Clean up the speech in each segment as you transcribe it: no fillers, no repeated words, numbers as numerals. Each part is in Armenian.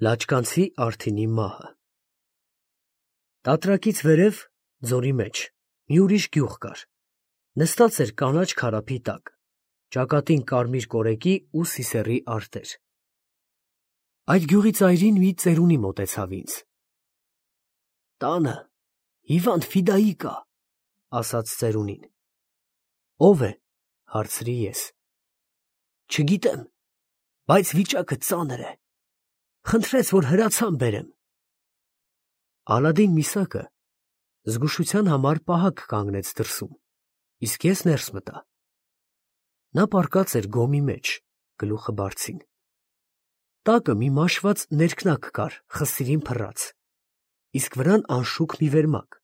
Լաչկանցի Արթինի մահը։ Տատրակից վերև, ձորի մեջ, մի ուրիշ գյուղ կար, նստած էր կանաչ քարափի տակ, ճակատին կարմիր կորեկի ու սիսեռի արտեր։ Այդ գյուղի ծայրին մի ծերունի մոտեցավ ինձ. «Տանը հիվանդ Ֆիդայի կա», ասաց ծերունին։ «Ո՞վ է», հարցրի ես։ «Չգիտեմ, բայց վիճակը ծանր է, խնդրեց, որ հրացան բերեմ»։ Ալադին Միսակը զգուշության համար պահակ կանգնեց դրսում, իսկ ես ներս մտա։ Նա պառկած էր գոմի մեջ, գլուխը բարձին։ Տակը մի մաշված ներքնակ կար, խսիրին փռած, իսկ վրան անշուք մի վերմակ,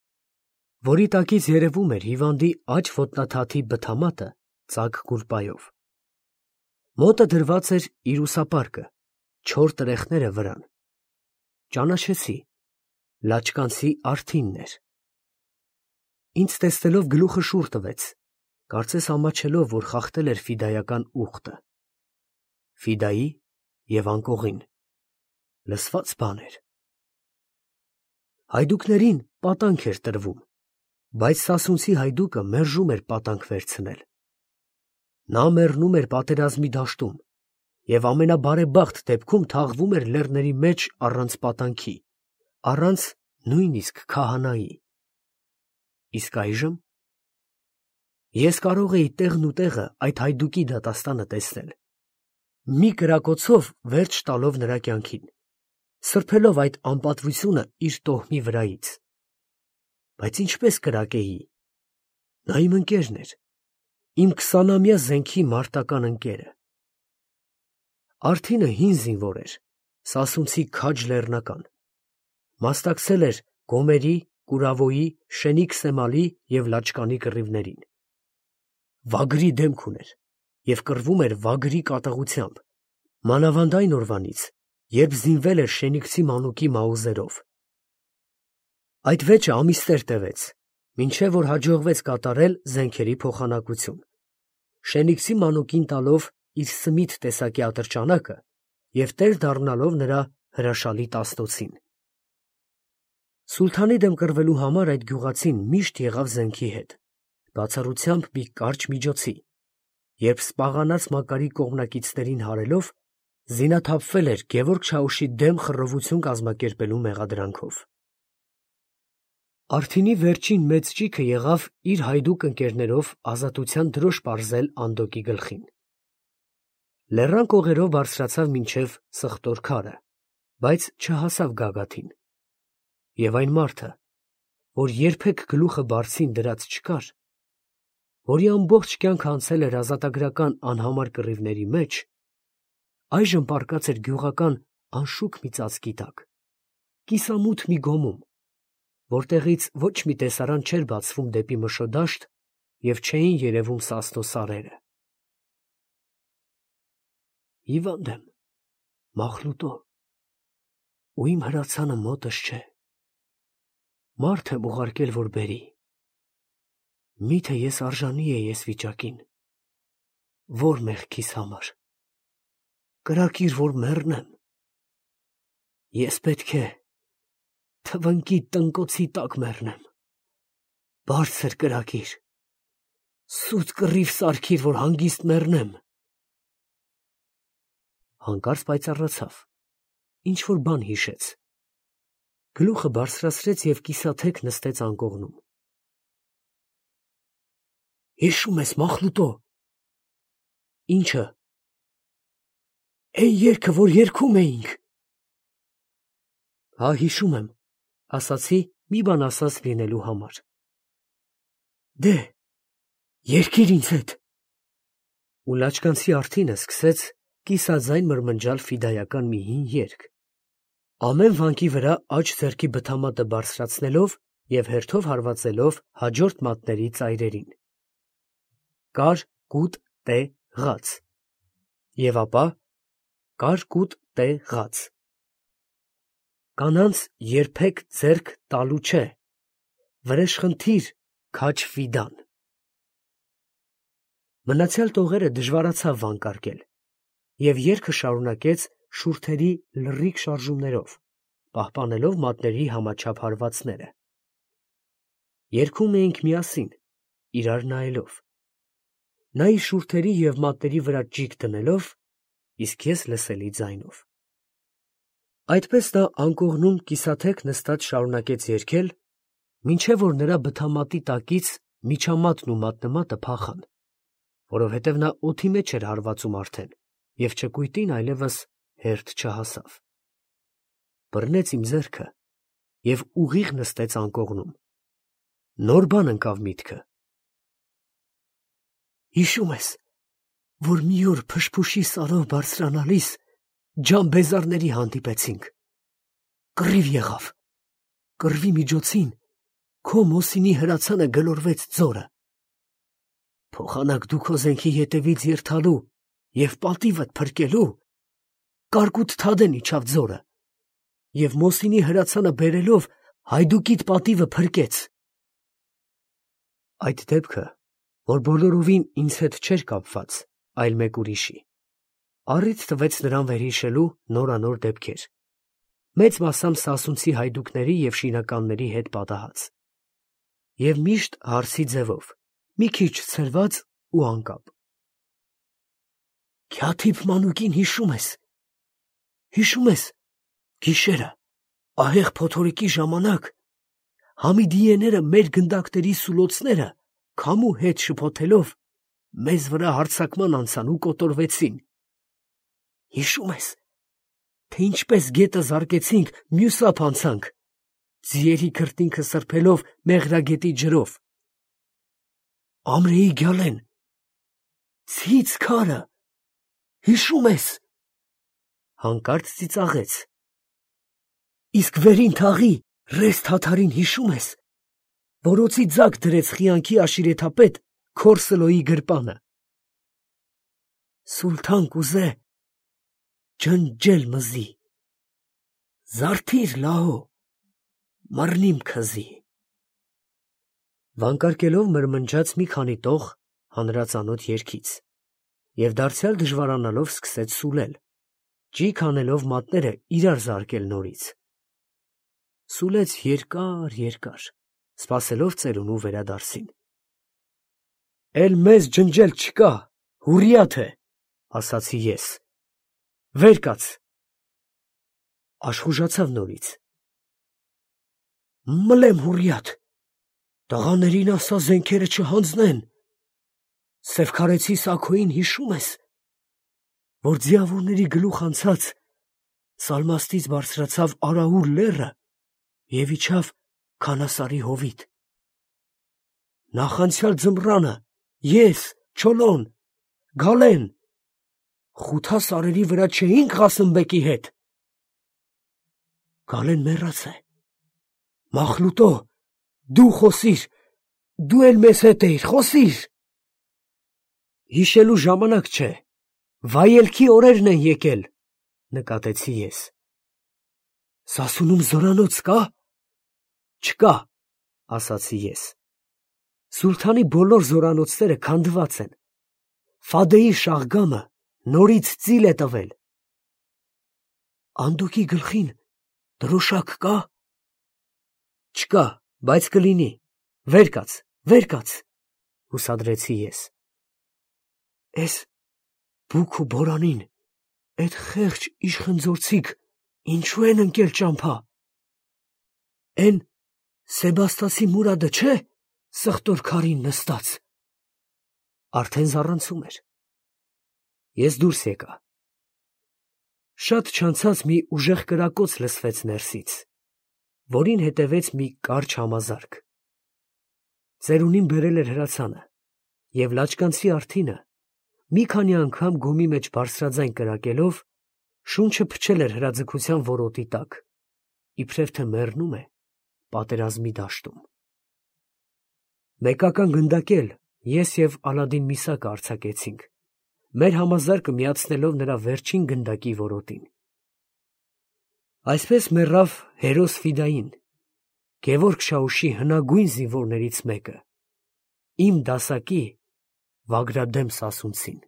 որի տակից երևում էր հիվանդի աջ ոտնաթաթի բթամատը ծակ գուլպայով։ Մոտը դրված էր իր ուսապարկը, չոր տրեխները վրան։ Ճանաչեցի, լաչկանցի Արթինն էր։ Ինձ տեսնելով գլուխը շուռ տվեց, կարծես ամաչելով, որ խախտել էր ֆիդայական ուխտը։ Ֆիդայի և անկողին, լսված բան էր։ Հայդուկներին պատանք էր տրվում, բայց սասունցի հայդուկը մերժում էր պատանք վերցնել։ Նա մեռնում էր պատերազմի դաշտում և ամենաբարեբախտ դեպքում թաղվում էր լեռների մեջ առանց պատանքի, առանց նույնիսկ քահանայի։ Իսկ այժմ ես կարող էի տեղն ու տեղը այդ հայդուկի դատաստանը տեսնել, մի կրակոցով վերջ տալով նրա կյանքին, սրբելով այդ անպատվությունը իր տոհմի վրայից։ Բայց ինչպես կրակեի։ Նա իմ ընկերն էր, իմ 20-ամյա զենքի մարտական ընկերը։ Արթինը հին զինվոր էր, սասունցի քաջ լեռնական, մասնակցել էր Գոմերի, Կուրավոյի, Շենիկ Սեմալի և Լաչկանի կռիվներին։ Վագրի դեմք ուներ և կռվում էր վագրի կատաղությամբ, մանավանդ այն օրվանից, երբ զինվել էր Շենիկցի մանուկի մաուզերով։ Այդ վեճը ամիսներ տևեց, մինչև որ հաջողվեց կատարել զենքերի փոխանակություն, Շենիկցի մանուկին տալով իր Սմիթ տեսակի ատրճանակը և տեր դառնալով նրա հրաշալի տասնոցին։ Սուլթանի դեմ կռվելու համար այդ գյուղացին միշտ եղավ զենքի հետ, բացառությամբ մի կարճ միջոցի, երբ սպաղանած Մակարի կողմնակիցներին հարելով, զինաթափվել էր Գևորգ Չաուշի դեմ խռովություն կազմակերպելու մեղադրանքով։ Արթինի վերջին մեծ ճիգը եղավ իր հայդուկ ընկերներով ազատության դրոշ պարզել Անդոկի գլխին։ Լեռան կողերով բարձրացավ մինչև Սխտոր քարը, բայց չհասավ գագաթին։ Եվ այն մարդը, որ երբեք գլուխը բարձին դրած չկար, որի ամբողջ կյանքը անցել էր ազատագրական անհամար կռիվների մեջ, այժմ պառկած էր գյուղական անշուք մի ծածկի տակ, կիսամութ մի գոմում, որտեղից ոչ մի տեսարան չէր բացվում դեպի Մշոդաշտ և չէին երևում Սասնո սարերը։ Հիվանդ եմ, Մախլուտո, ու իմ հրացանը մոտս չէ։ Մարդ եմ ուղարկել, որ բերի։ Միթե ես արժանի էի էս վիճակին, որ մեղքիս համար։ Կրակիր, որ մեռնեմ։ Ես պետք է թվնկի տնկոցի տակ մեռնեմ։ Բարձր կրակիր, սուտ կռիվ սարքիր, որ հանգիստ մեռնեմ։ Հանկարծ պայծառացավ, ինչ-որ բան հիշեց։ Գլուխը բարձրացրեց և կիսաթեք նստեց անկողնում։ Հիշո՞ւմ ես, Մախլուտո։ Ի՞նչը։ Էն երգը, որ երգում էինք։ Հա, հիշում եմ, ասացի մի բան ասած լինելու համար։ Դե, երգիր ինձ հետ։ Ու լաչկանցի Արթինը սկսեց կիսաձայն մրմնջալ ֆիդայական մի հին երգ, ամեն վանկի վրա աջ ձեռքի բթամատը բարձրացնելով և հերթով հարվածելով հաջորդ մատների ծայրերին։ Կար կուտ տե ղաց։ Եվ ապա կար կուտ տե ղաց։ Կանանց երբեք ձեռք տալու չէ, վրեժխնդիր քաջ ֆիդան։ Մնացյալ տողերը դժվարացավ վանկարկել, և երգը շարունակեց շուրթերի լռիկ շարժումներով, պահպանելով մատների համաչափ հարվածները։ Երգում էինք միասին, իրար նայելով։ Նա իր շուրթերի և մատների վրա ճիգ դնելով, իսկ ես լսելի ձայնով։ Այդպես նա անկողնում կիսաթեք նստած շարունակեց երգել, մինչև որ նրա բթամատի տակից միջամատն ու մատնմատը փախան, որովհետև նա օդի մեջ էր հարվածում արդեն և ճկույտին այլևս հերթ չհասավ։ Բռնեց իմ ձեռքը և ուղիղ նստեց անկողնում։ Նոր բան ընկավ միտքը։ Հիշում ես, որ մի օր փշփուշի սարով բարձրանալիս ջանբեզարների հանդիպեցինք։ Կռիվ եղավ։ Կռվի միջոցին քո մոսինի հրացանը գլորվեց ձորը։ Փոխանակ դու քո զենքի ետևից երթալու և պատիվդ փրկելու, կարկուտ Թադեն իջավ ձորը և մոսինի հրացանը բերելով հայդուկիդ պատիվը փրկեց։ Այդ դեպքը, որ բոլորովին ինձ հետ չէր կապված, այլ մեկ ուրիշի, առիթ տվեց նրան վերհիշելու նորանոր դեպքեր, մեծ մասամբ սասունցի հայդուկների և շինականների հետ պատահած, և միշտ հարցի ձևով, մի քիչ ցրված ու անկապ։ Քյաթիփ մանուկին հիշում ես։ Հիշում ես, գիշերը, ահեղ փոթորիկի ժամանակ, Համիդիեները մեր գնդակների սուլոցները քամու հետ շփոթելով, մեզ վրա հարձակման անցան ու կոտորվեցին։ Հիշում ես, թե ինչպես գետը զարկեցինք, մյուս ափ անցանք, ձիերի քրտինքը սրբելով Մեղրագետի ջրով։ Ամրեի գյալեն, ցից քարը, հիշում ես։ Հանկարծ ծիծաղեց։ Իսկ վերին թաղի ռես թաթարին հիշում ես, որոցի ձակ դրեց խիանքի աշիրեթապետ Քորսլոյի գրպանը։ Սուլթան կուզե ջնջել մզի, զարթիր լահո, մռնիմ քզի։ Վանկարկելով մրմնջաց մի քանի տող հանրածանոթ երգից և դարձյալ դժվարանալով սկսեց սուլել, ճիգ անելով մատները իրար զարկել նորից։ Սուլեց երկար, սպասելով ծերունու վերադարձին։ Էլ մեզ ջնջել չկա, հուռիաթ է, ասացի ես։ Վեր կաց։ Աշխուժացավ նորից։ Մլեմ հուռիաթ, տղաներին ասա զենքերը չհանձնեն։ Սևքարեցի Սաքոյին հիշում ես, որ ձիավորների գլուխ անցած Սալմաստից բարձրացավ Արաուր լեռը և իջավ Քանասարի հովիտ։ Նախանցյալ ձմռանը ես, Չոլոն, Գալեն, Խութա սարերի վրա չէինք Ղասեմբեկի հետ։ Գալեն մեռած է։ Մախլուտո, դու խոսիր, դու էլ մեզ հետ էիր, խոսիր։ Հիշելու ժամանակ չէ, վայելքի օրերն են եկել, նկատեցի ես։ Սասունում զորանոց կա։ Չկա, ասացի ես։ Սուլթանի բոլոր զորանոցները քանդված են։ Ֆադեի շաղգամը նորից ծիլ է տվել։ Անդոկի գլխին դրոշակ կա։ Չկա, բայց կլինի։ Վեր կաց, հուսադրեցի ես։ Էս բուք ու բորանին, էդ խեղճ իշխնձորցիք ինչու են ընկել ճամփա։ Էն Սեբաստասի Մուրադը չէ, սխտոր քարին նստած։ Արդեն զառանցում էր։ Ես դուրս եկա։ Շատ չանցած մի ուժեղ կրակոց լսվեց ներսից, որին հետևեց մի կարճ համազարկ։ Ծերունին բերել էր հրացանը, և լաճկանցի արտինը, մի քանի անգամ գոմի մեջ բարձրաձայն կրակելով, շունչը փչել էր հրաձգության որոտի տակ, իբրև թե մեռնում է պատերազմի դաշտում։ Մեկական գնդակել ես և Ալադին Միսակը արձակեցինք, մեր համազարկը միացնելով նրա վերջին գնդակի որոտին։ Այսպես մեռավ հերոս Ֆիդային, Գևորգ Շաուշի հնագույն զինվորներից մեկը, իմ դասակի Վագրադեմ սասունցին։